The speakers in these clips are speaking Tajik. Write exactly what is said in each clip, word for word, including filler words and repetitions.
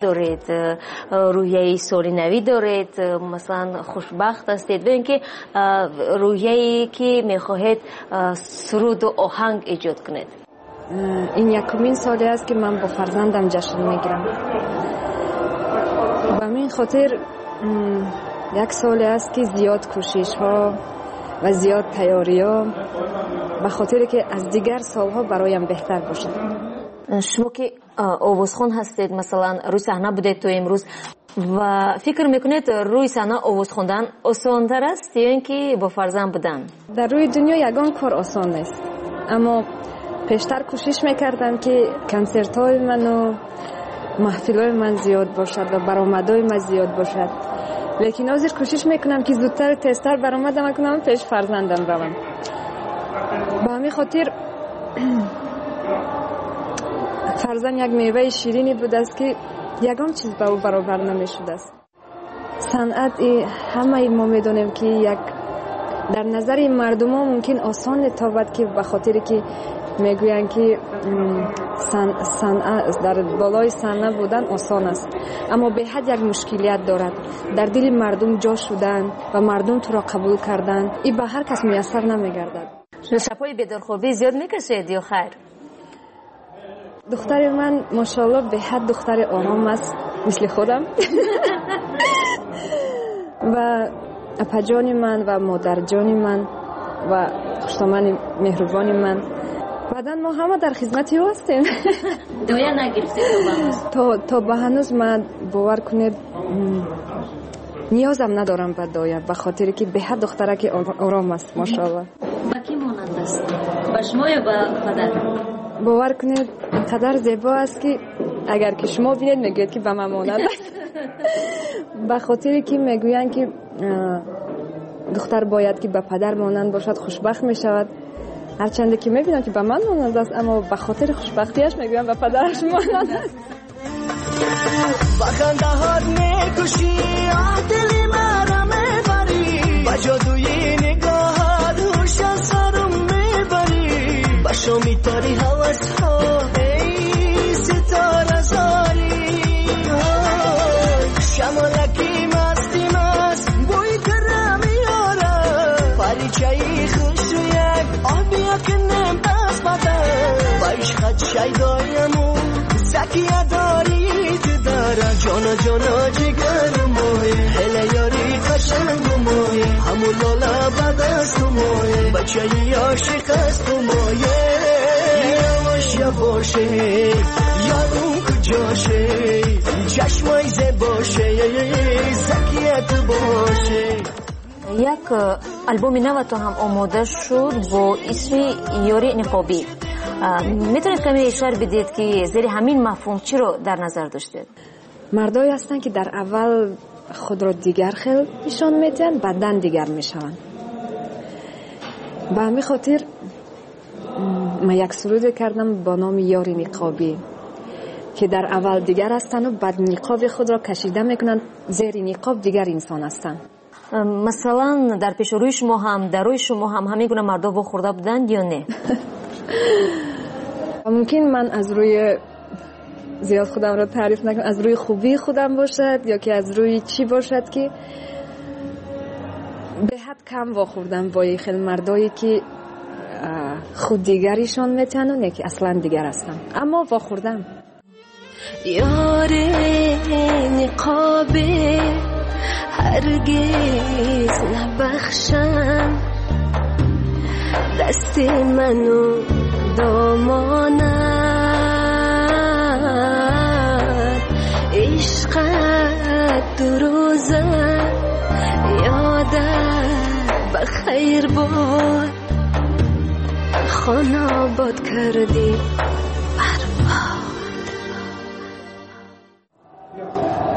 Доред, рӯҳияи соли навӣ доред, масалан хушбахт ҳастед ё ин ки рӯҳияе ки мехоҳед суруду оҳанг эҷод кунед? Ин якумин соле аст, ки ман бо фарзандам ҷашн мегирам. Ба ҳамин хотир як соле аст, ки зиёд кӯшишҳо ва зиёд тайёриҳо, ба хотире ки аз дигар солҳо бароям беҳтар бошад. Шумо ки овозхон ҳастед, масалан рӯи саҳна будед то имрӯз ва фикр мекунед, рӯи саҳна овоз хондан осонтар аст ё ин ки бо фарзанд будан? Дар рӯи дунё ягон кор осон нест, аммо пештар кӯшиш мекардам, ки консертҳои ману маҳфилҳои ман зиёд бошад ва баромадҳои ман зиёд бошад, лекин ҳозир кӯшиш мекунам, ки зудтару тезтар баромадам кунам, пеш фарзандам равам. Ба ҳамин хотир фарзанд як меваи ширине будааст, ки ягон чиз ба ӯ баробар намешудааст. Санъат ҳамаи мо медонем, ки як дар назари мардумо мумкин осон тобад, ки ба хотире ки мегӯянд, ки дар болои саҳна будан осон аст, аммо беҳад як мушкилият дорад. Дар дили мардум ҷо шудан ва мардум туро қабул кардан и ба ҳар кас муяссар намегардад. Шабҳои бедорхобӣ зиёд мекашед ё хайр? Духтари ман, мошоалло, беҳад духтари ором аст, мисли худам. Ва апаҷони ман ва модарҷони ман ва хуштомани меҳрубони ман, баъдан мо ҳама дар хизмати ӯ ҳастем. Доя нагирифтед то ба ҳанӯз? то то ба ҳанӯз ман, бовар кунед, ниёзам надорам ба доя, ба хотире ки беҳад духтараки ором аст, мошоалло. Ба кӣ монанд аст, ба шумо ё ба падар? Бовар кунед, инқадар зебо аст, ки агар ки шумо бинед, мегӯед, ки ба ман монанд аст, ба хотире ки мегӯянд, ки духтар бояд ки ба падар монанд бошад, хушбахт мешавад. Ҳарчанде ки мебинам, ки ба ман монанд аст, аммо ба хотири хушбахтиаш мегӯям, ба падараш монанд аст. Ба хандаҳот мекушӣ, дили маро мебарӣ, ба ҷодуи нигоҳат ҳуш аз сарам мебарӣ, ба шоми тори ҳавасҳо, эй ситора зорӣ, шамолаки масти маст бӯи тара меорад, паричаи хушрӯяк оби кунем даст ба даст, ба ишқат шайдояму закия дорӣ ту дара, ҷоно ҷоно ҷигарам мое, ҳела ёри қашангу мое, ҳаму лола ба дасту мое, бачаи ошиқ асту мое. Явош явоше, ёрум куҷоше, чашмои зебоше, закия ту боше. Як албоми наватон ҳам омода шуд бо исми «Ёри ниқобӣ». Метавонед каме шарҳ бидиҳед, ки зери ҳамин мафҳум чиро дар назар доштед? Мардое ҳастанд, ки дар аввал худро дигар хел нишон медиҳанд, баъдан дигар мешаванд. Ба ҳамин хотир ман як суруде кардам бо номи «Ёри ниқобӣ», ки дар аввал дигар ҳастанду баъд ниқоби худро кашида мекунанд, зери ниқоб дигар инсон ҳастанд. Масалан, дар пеши рӯи шумо ҳам, дар рӯи шумо ҳам ҳамин гуна мардо вохӯрда буданд ё не? Мумкин ман аз рӯи зиёд худамро таъриф накунам, аз рӯи хубии худам бошад ё ки аз рӯи чӣ бошад, ки беҳад кам вохӯрдам бо хел мардое, ки худ дигаришон метиҳанду не ки аслан дигар ҳастанд, аммо вохӯрдам. Ёри ниқобӣ ҳаргиз набахшам, дасти ману домонат, ишқат дурӯза ёдат ба хайр бод, хона обод кардӣ барбод.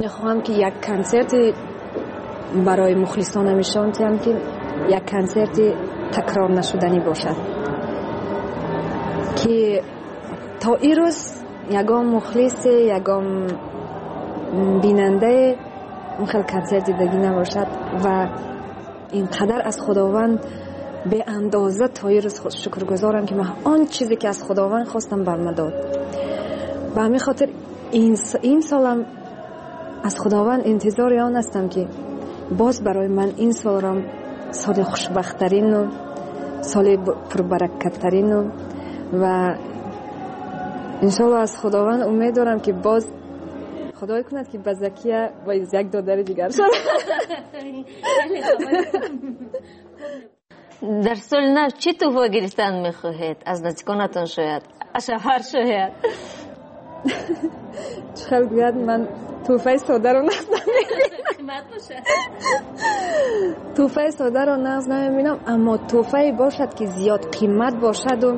Мехоҳам, ки як консерти барои мухлисонам нишон диҳам, ки як консерти такрор нашуданӣ бошад, ки то ин рӯз ягон мухлисе, ягон бинандае он хел консерт дидагӣ набошад. Ва инқадар аз Худованд беандоза то ин рӯз шукргузорам, ки ман он чизе ки аз Худованд хостам, бар ман дод. Ба ҳамин хотир ин солам Аз Худованд интизори он ҳастам, ки боз барои ман ин солро соли хушбахттарину соли пурбаракаттарину ва иншоалло аз Худованд умед дорам, ки боз Худой кунад, ки ба Закия бо як додари дигар шавад. Дар соли нав чӣ тӯҳфа гирифтан мехоҳед? Аз наздиконатон шояд, аз шавҳар шояд. Чӣ хел гӯяд, ман тӯҳфаи содаро нағз намебинам. Қимат бошад. Тӯҳфаи содаро нағз намебинам, аммо тӯҳфае бошад, ки зиёд қимат бошаду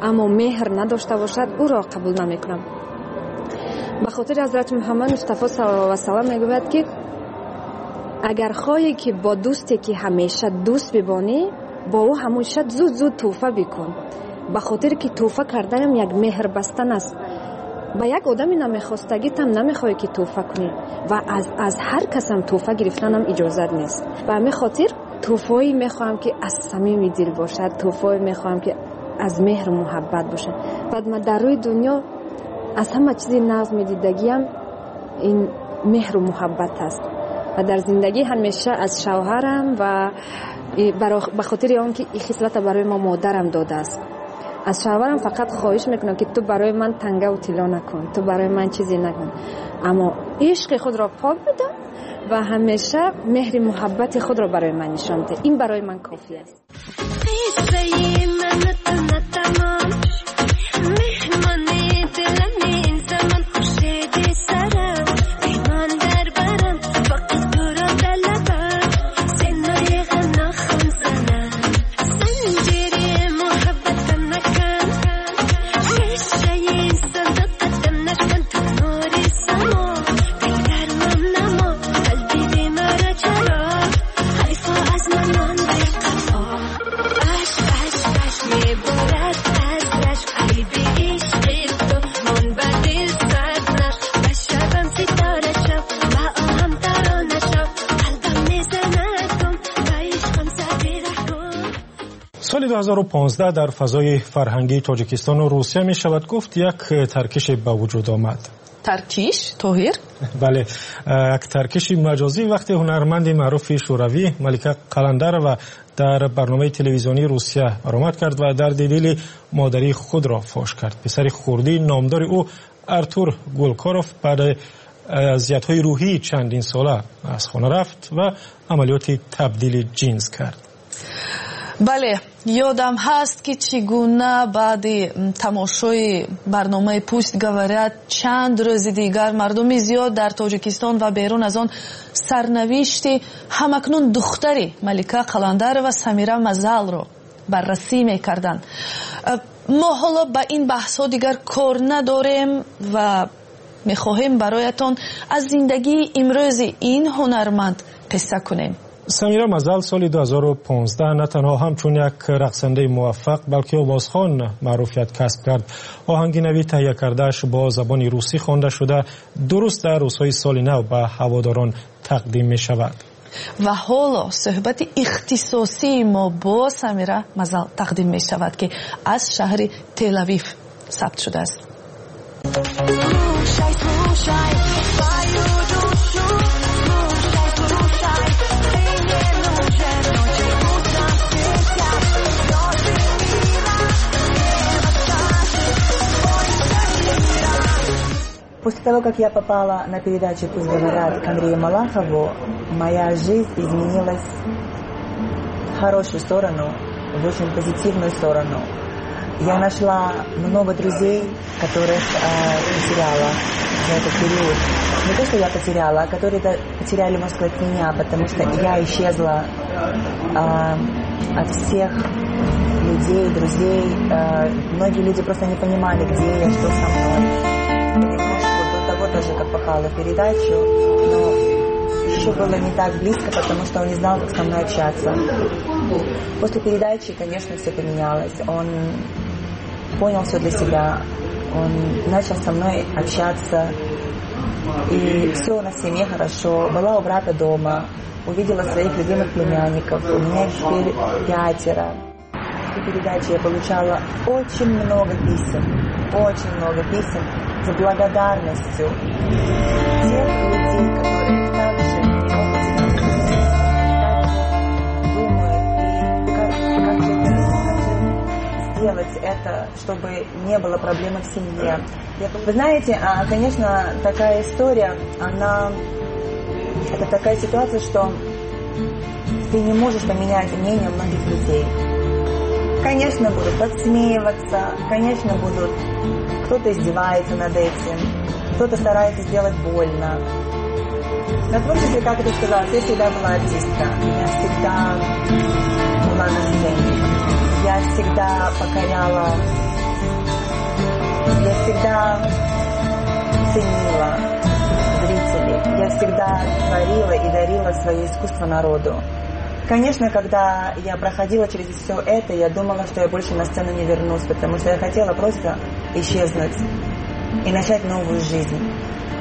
аммо меҳр надошта бошад, ӯро қабул намекунам. Ба хотири Ҳазрати Муҳаммад Мустафо саллаллоҳу алайҳи васаллам мегӯяд, ки агар хоҳӣ, ки бо дӯсте, ки ҳамеша дӯст бибонӣ, бо ӯ ҳамеша зуд зуд тӯҳфа бикун. Ба хотире ки тӯҳфа карданам як меҳр бастан аст. Ба як одами намехостагитам намехоҳӣ, ки тӯҳфа кунӣ ва аз, аз ҳар касам тӯҳфа гирифтанам иҷозат нест. Ба ҳамин хотир тӯҳфое мехоҳам, ки аз самими дил бошад, тӯҳфое мехоҳам, ки аз меҳру муҳаббат бошад. Баъд ман дар рӯи дунё аз ҳама чизи нағз медидагиам ин меҳру муҳаббат аст ва дар зиндагӣ ҳамеша аз шавҳарам ва ба хотири он ки ин хислата барои мо модарам додааст, аз шавҳарам фақат хоҳиш мекунам, ки ту барои ман тангаву тилло накун, ту барои ман чизе накун, аммо ишқи худро пок бидор ва ҳамеша меҳри муҳаббати худро барои ман нишон деҳ. Ин барои ман кофӣ аст. Соли ду ҳазору понздаҳ дар фазои фарҳангии Тоҷикистону Русия мешавад гуфт як таркише ба вуҷуд омад. Таркиш, Тоҳир? Бале, як таркиши маҷозӣ вақте ҳунарманди маъруфи шӯравӣ Малика Қаландарова дар барномаи телевизионии Русия баромад кард ва дарди дили модарии худро фош кард. Писари хурдии номдори ӯ Артур Гулкоров баъд азиятҳои рӯҳии чандин сола аз хона рафт ва амалиёти табдили ҷинс кард. Бале, ёдам ҳаст, ки чӣ гуна баъди тамошои барномаи «Пусть говорят» чанд рӯзи дигар мардуми зиёд дар Тоҷикистон ва берун аз он сарнавишти ҳамакнун духтари Малика Қаландарова Самира Мазалро баррасӣ мекарданд. Мо ҳоло ба ин баҳсҳо дигар кор надорем ва мехоҳем бароятон аз зиндагии имрӯзи ин ҳунарманд қисса кунем. Самира Мазал соли ду ҳазору понздаҳ на танҳо ҳамчун як рақсандаи муваффақ, балки овозхон маъруфият касб кард. Оҳанги нави таҳия кардааш бо забони русӣ хонда шуда, дуруст дар рӯзҳои соли нав ба ҳаводорон тақдим мешавад. Ва ҳоло суҳбати ихтисосии мо бо Самира Мазал тақдим мешавад, ки аз шаҳри Телавив сабт шудааст. Слушай, слушай свою душу, слушай, слушай, ты не нужен ночью, утром светят звезды мира, небо скажет, ой, Самира. После того, как я попала на передачу «Пусть говорят» к Андрею Малахову, моя жизнь изменилась в хорошую сторону, в очень позитивную сторону. Я нашла много друзей, которых э, потеряла за этот период. Не то, что я потеряла, а которые потеряли, можно сказать, меня, потому что я исчезла э, от всех людей, друзей. Э, многие люди просто не понимали, где я, что со мной. Немножко до того тоже, как попала в передачу, но еще было не так близко, потому что он не знал, как со мной общаться. После передачи, конечно, все поменялось. Он понял все для себя, он начал со мной общаться, и все у нас в семье хорошо. Была у брата дома, увидела своих любимых племянников, у меня их теперь пятеро. После передачи я получала очень много писем, очень много писем с благодарностью тех людей, которые чтобы не было проблем в семье. Вы знаете, конечно, такая история, она... Это такая ситуация, что ты не можешь поменять мнение многих людей. Конечно, будут подсмеиваться, конечно, будут... Кто-то издевается над этим, кто-то старается сделать больно. На творчестве, как ты сказала, я всегда была артистка. Я всегда была на сцене. Я всегда покоряла. Я всегда ценила зрителей. Я всегда творила и дарила свое искусство народу. Конечно, когда я проходила через все это, я думала, что я больше на сцену не вернусь, потому что я хотела просто исчезнуть и начать новую жизнь.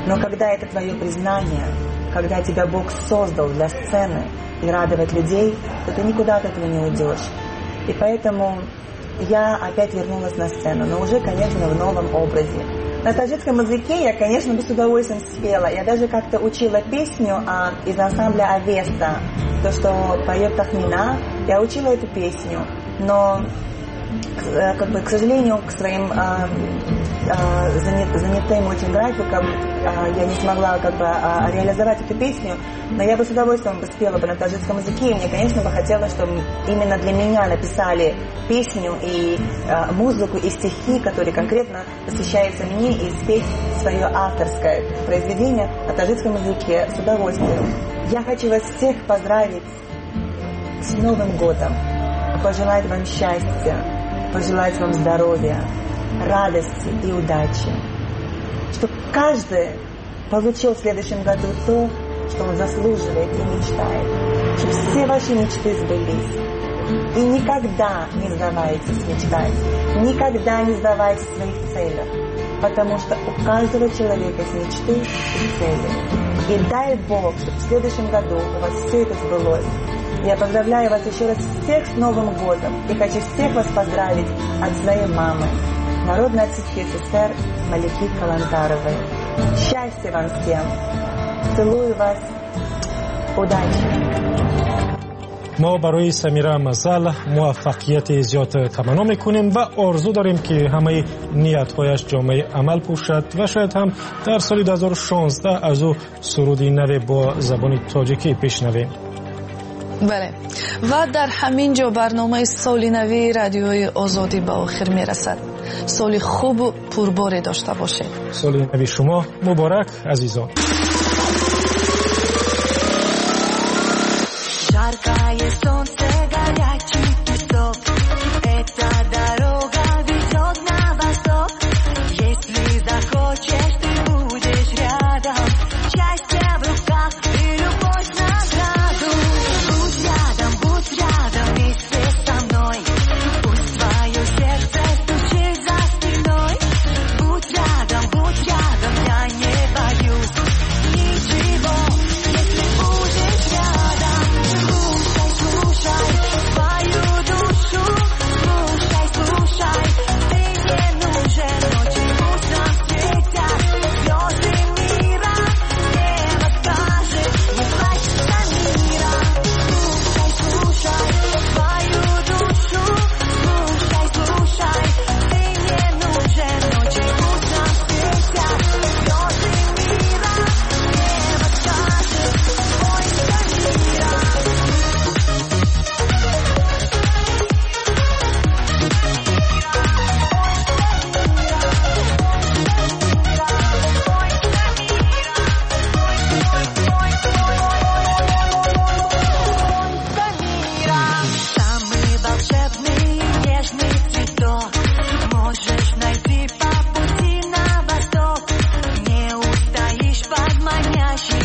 Но когда это твое признание, когда тебя Бог создал для сцены и радовать людей, то ты никуда от этого не уйдешь. И поэтому я опять вернулась на сцену, но уже, конечно, в новом образе. На таджикском языке я, конечно, бы с удовольствием спела. Я даже как-то учила песню а, из ансамбля «Авеста», то, что поет Тахмина. Я учила эту песню, но, как бы, к сожалению, к своим а, а, занят, занятым очень графикам а, я не смогла как бы а, реализовать эту песню, но я бы с удовольствием бы спела бы на таджикском языке, и мне, конечно, бы хотелось, чтобы именно для меня написали песню и а, музыку, и стихи, которые конкретно посвящаются мне, и спеть свое авторское произведение на таджикском языке с удовольствием. Я хочу вас всех поздравить с Новым годом, пожелать вам счастья, пожелать вам здоровья, радости и удачи. Чтобы каждый получил в следующем году то, что он заслуживает и мечтает. Чтобы все ваши мечты сбылись. И никогда не сдавайтесь мечтать. Никогда не сдавайтесь в своих целях. Потому что у каждого человека есть мечты и цели. И дай Бог, чтобы в следующем году у вас все это сбылось. Я поздравляю вас еще раз всех с Новым годом и хочу всех вас поздравить от своей мамы, народной артистки СССР Малики Калантаровой. Счастья вам всем! Целую вас! Удачи! Мо барои Самира Мазал муваффақияти зиёд таманно мекунем ва орзу дорем, ки ҳамаи ниятҳояш ҷомаи амал пӯшад ва шояд ҳам дар соли ду ҳазору шонздаҳ аз ӯ суруди наве бо забони тоҷикӣ бишнавем. Бале, ва дар ҳамин ҷо барномаи соли нави радиои Озодӣ ба охир мерасад. Соли хубу пурборе дошта бошед. Соли нави шумо муборак, азизон. Жаркое солнце, горячий песок, эта дорога ведет на восток. Если захочешь, ты будешь рядом. Счастье в руках и любовь награду. Будь рядом, будь рядом вместе со мной. Пусть твое сердце стучит за спиной. Будь рядом, будь рядом, я не боюсь ничего, если будешь рядом. Слушай, слушай свою душу, слушай, слушай, ты не нужен ночи, утром светят звезды мира. Небо скажет, не плачь, Самира. Слушай, слушай свою душу, слушай, слушай, ты не нужен ночи, утром светят звезды мира. Небо скажет, бойся мира. Самый волшебный нежный цветок можешь найти по пути на восток. Не устоишь под манящей